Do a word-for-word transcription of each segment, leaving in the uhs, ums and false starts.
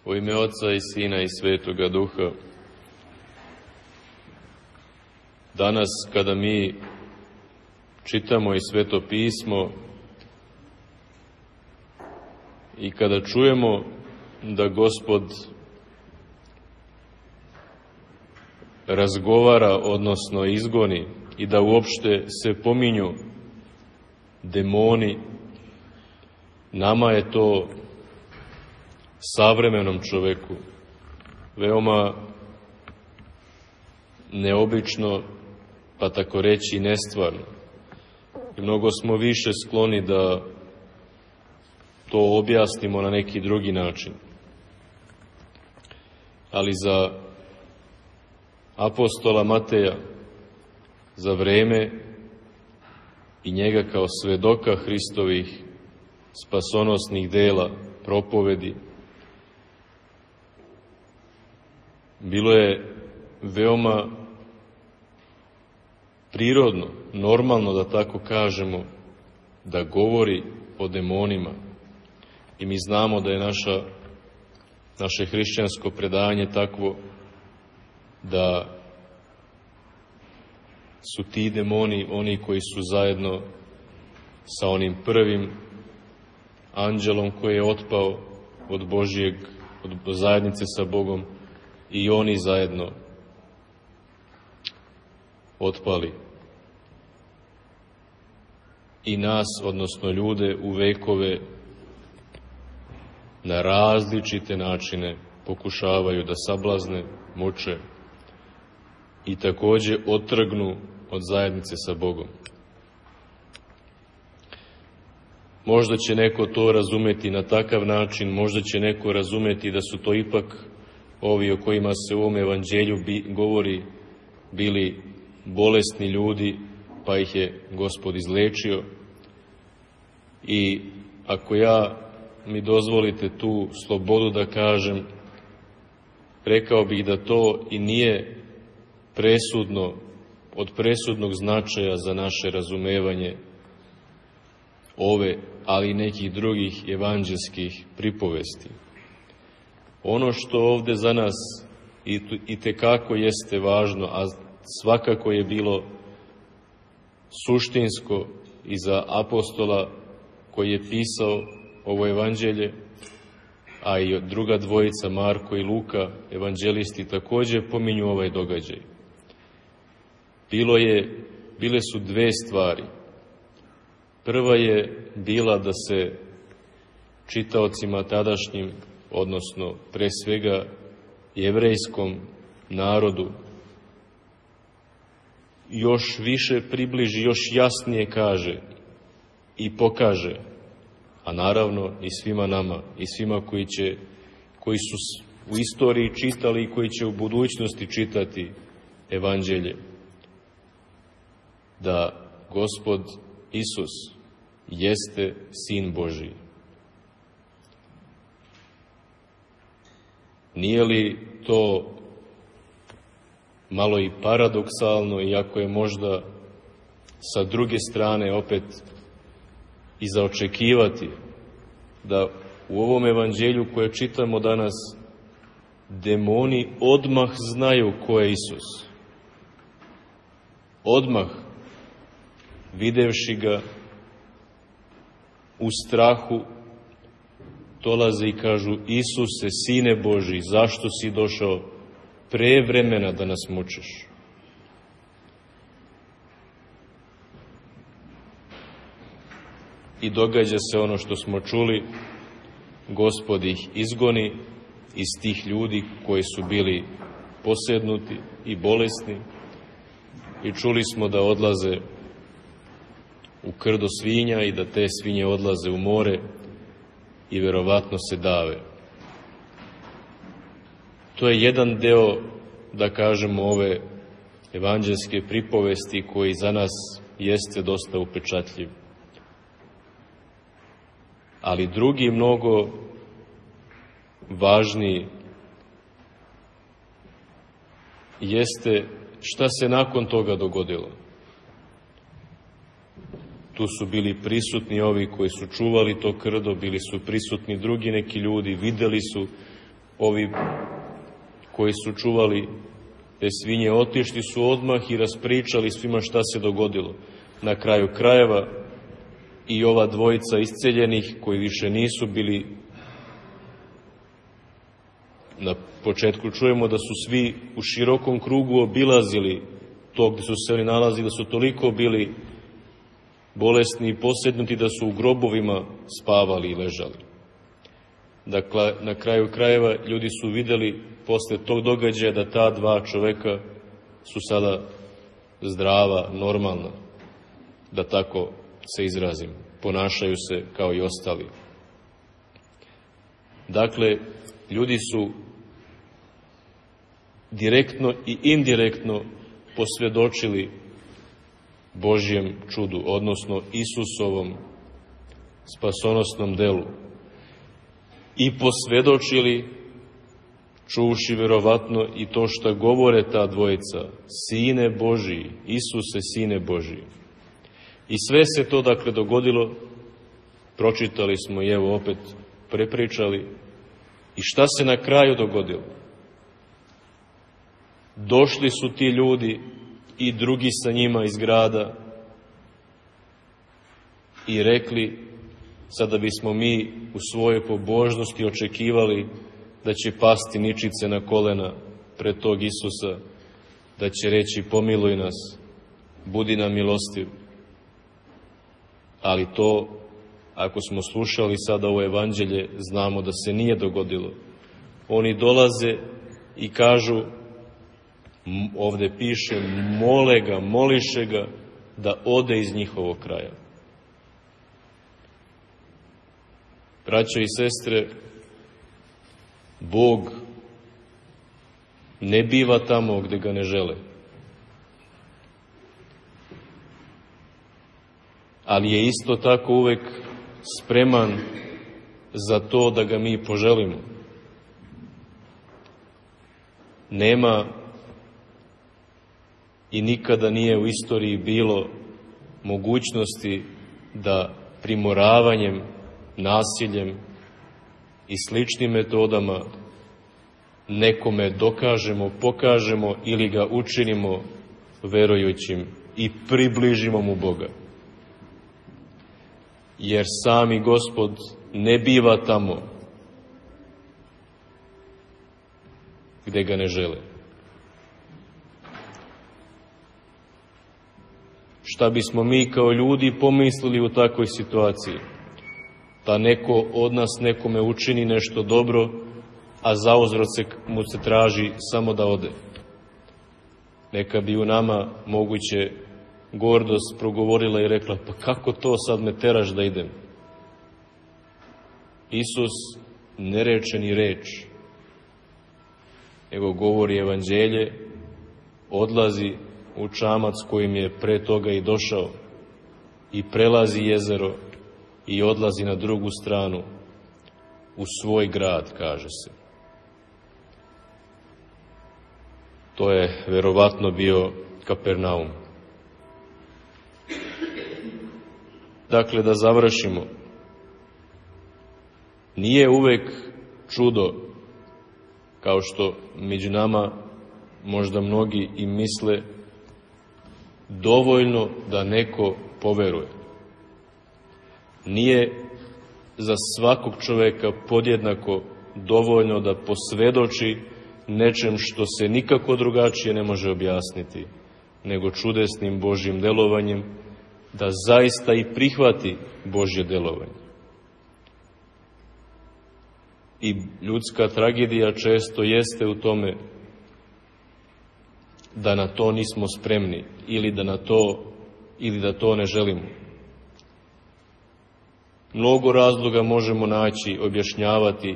U ime Oca i Sina i Svetoga Duha. Danas kada mi čitamo i Sveto pismo i kada čujemo da Gospod razgovara, odnosno izgoni, i da uopšte se pominju demoni, nama je to, savremenom čoveku, veoma neobično, pa tako reći nestvarno. I mnogo smo više skloni da to objasnimo na neki drugi način. Ali za apostola Mateja, za vreme i njega kao svedoka Hristovih spasonosnih dela, propovedi, bilo je veoma prirodno, normalno da tako kažemo, da govori o demonima. I mi znamo da je naša, naše hrišćansko predanje takvo da su ti demoni oni koji su zajedno sa onim prvim anđelom koji je otpao od Božijeg, od zajednice sa Bogom, i oni zajedno otpali. I nas, odnosno ljude, u vekove na različite načine pokušavaju da sablazne, muče i takođe otrgnu od zajednice sa Bogom. Možda će neko to razumeti na takav način, možda će neko razumeti da su to ipak ovi o kojima se u ovom evanđelju bi, govori bili bolesni ljudi, pa ih je Gospod izlečio. I ako ja mi dozvolite tu slobodu da kažem, rekao bih da to i nije presudno, od presudnog značaja za naše razumevanje ove, ali i nekih drugih evanđelskih pripovesti. Ono što ovde za nas i tekako jeste važno, a svakako je bilo suštinsko i za apostola koji je pisao ovo evanđelje, a i druga dvojica, Marko i Luka, evanđelisti, takođe pominju ovaj događaj. Bilo je, bile su dve stvari. Prva je bila da se čitaocima tadašnjim, odnosno pre svega jevrejskom narodu, još više približi, još jasnije kaže i pokaže, a naravno i svima nama, i svima koji će, koji su u istoriji čitali i koji će u budućnosti čitati evanđelje, da Gospod Isus jeste Sin Božiji. Nije li to malo i paradoksalno, iako je možda sa druge strane opet i za očekivati da u ovom evanđelju koje čitamo danas demoni odmah znaju ko je Isus. Odmah, videvši ga u strahu, dolaze i kažu: Isuse, Sine Božji, zašto si došao pre vremena da nas mučiš? I događa se ono što smo čuli, Gospod ih izgoni iz tih ljudi koji su bili posednuti i bolesni, i čuli smo da odlaze u krdo svinja i da te svinje odlaze u more i verovatno se dave. To je jedan deo, da kažemo, ove evanđelske pripovesti koji za nas jeste dosta upečatljiv. Ali drugi, mnogo važniji, jeste šta se nakon toga dogodilo. Tu su bili prisutni ovi koji su čuvali to krdo, bili su prisutni drugi neki ljudi, videli su ovi koji su čuvali te svinje otišli su odmah i raspričali svima šta se dogodilo. Na kraju krajeva i ova dvojica isceljenih koji više nisu bili, na početku čujemo da su svi u širokom krugu obilazili to gde su se oni nalazili, da su toliko bili bolesni i posednuti da su u grobovima spavali i ležali. Dakle, na kraju krajeva ljudi su videli posle tog događaja da ta dva čoveka su sada zdrava, normalna, da tako se izrazim, ponašaju se kao i ostali. Dakle, ljudi su direktno i indirektno posvjedočili Božjem čudu, odnosno Isusovom spasonosnom delu. I posvjedočili, čuvši verovatno i to što govore ta dvojica, Sine Božiji, Isuse, Sine Božiji. I sve se to dakle dogodilo, pročitali smo i evo opet prepričali. I šta se na kraju dogodilo? Došli su ti ljudi i drugi sa njima iz grada i rekli, sada bismo mi u svojoj pobožnosti očekivali da će pasti ničice na kolena pred tog Isusa, da će reći pomiluj nas, budi nam milostiv. Ali to, ako smo slušali sada ovo evanđelje, znamo da se nije dogodilo. Oni dolaze i kažu, ovde piše, mole ga, moliše ga da ode iz njihovog kraja. Braćo i sestre, Bog ne biva tamo gde ga ne žele. Ali je isto tako uvek spreman za to da ga mi poželimo. Nema i nikada nije u istoriji bilo mogućnosti da primoravanjem, nasiljem i sličnim metodama nekome dokažemo, pokažemo ili ga učinimo verujućim i približimo mu Boga. Jer sami Gospod ne biva tamo gde ga ne žele. Šta bismo mi kao ljudi pomislili u takvoj situaciji? Da neko od nas nekome učini nešto dobro, a zauzvrat se mu se traži samo da ode. Neka bi u nama moguće gordost progovorila i rekla, pa kako to sad me teraš da idem? Isus ne reče ni reč, nego govori evanđelje, odlazi u čamac kojim je pre toga i došao i prelazi jezero i odlazi na drugu stranu, u svoj grad, kaže se. To je verovatno bio Kapernaum. Dakle, da završimo. Nije uvek čudo, kao što među nama možda mnogi i misle, dovoljno da neko poveruje. Nije za svakog čoveka podjednako dovoljno da posvedoči nečem što se nikako drugačije ne može objasniti, nego čudesnim Božjim delovanjem, da zaista i prihvati Božje delovanje. I ljudska tragedija često jeste u tome da na to nismo spremni ili da na to ili da to ne želimo. Mnogo razloga možemo naći, objašnjavati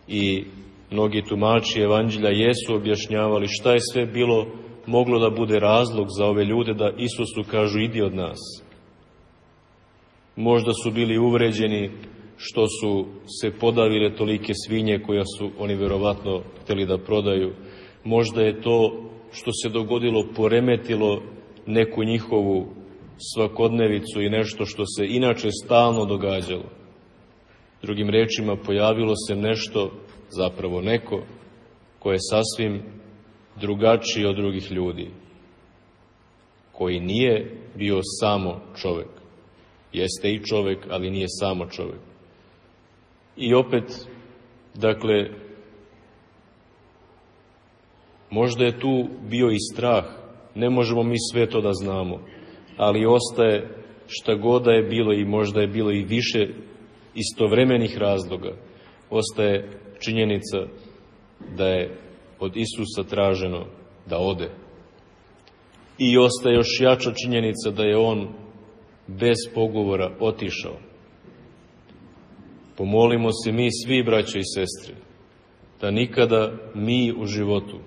i mnogi tumači evanđelja jesu objašnjavali šta je sve bilo moglo da bude razlog za ove ljude da Isusu kažu idi od nas. Možda su bili uvređeni što su se podavile tolike svinje koja su oni verovatno hteli da prodaju. Možda je to što se dogodilo poremetilo neku njihovu svakodnevicu i nešto što se inače stalno događalo. Drugim rečima, pojavilo se nešto zapravo neko ko je sasvim drugačiji od drugih ljudi, koji nije bio samo čovek. Jeste i čovek, ali nije samo čovek. I opet, dakle, možda je tu bio i strah, ne možemo mi sve to da znamo, ali ostaje šta god da je bilo i možda je bilo i više istovremenih razloga, ostaje činjenica da je od Isusa traženo da ode. I ostaje još jača činjenica da je on bez pogovora otišao. Pomolimo se mi svi, braće i sestre, da nikada mi u životu,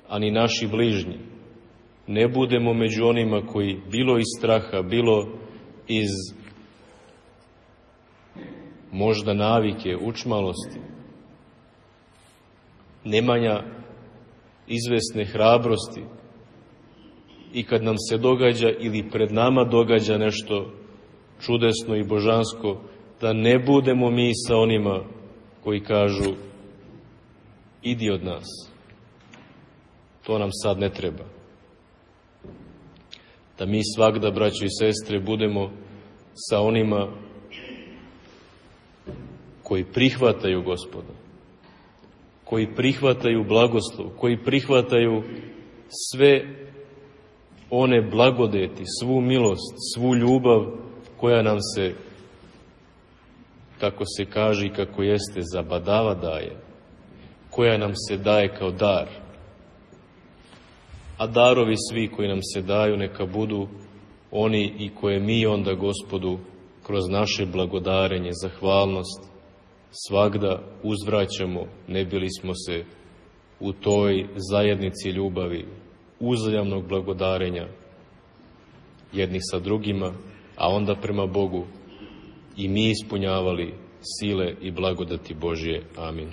a ni naši bližnji, ne budemo među onima koji, bilo iz straha, bilo iz možda navike, učmalosti, nemanja izvesne hrabrosti, i kad nam se događa ili pred nama događa nešto čudesno i božansko, da ne budemo mi sa onima koji kažu idi od nas, to nam sad ne treba. Da mi svagda, braćo i sestre, budemo sa onima koji prihvataju Gospoda, koji prihvataju blagoslov, koji prihvataju sve one blagodeti, svu milost, svu ljubav koja nam se, kako se kaže i kako jeste, zabadava daje, koja nam se daje kao dar. A darovi svi koji nam se daju neka budu oni i koje mi onda Gospodu kroz naše blagodarenje, zahvalnost, svagda uzvraćamo, ne bili smo se u toj zajednici ljubavi, uzajamnog blagodarenja jednih sa drugima, a onda prema Bogu i mi ispunjavali sile i blagodati Božje. Amin.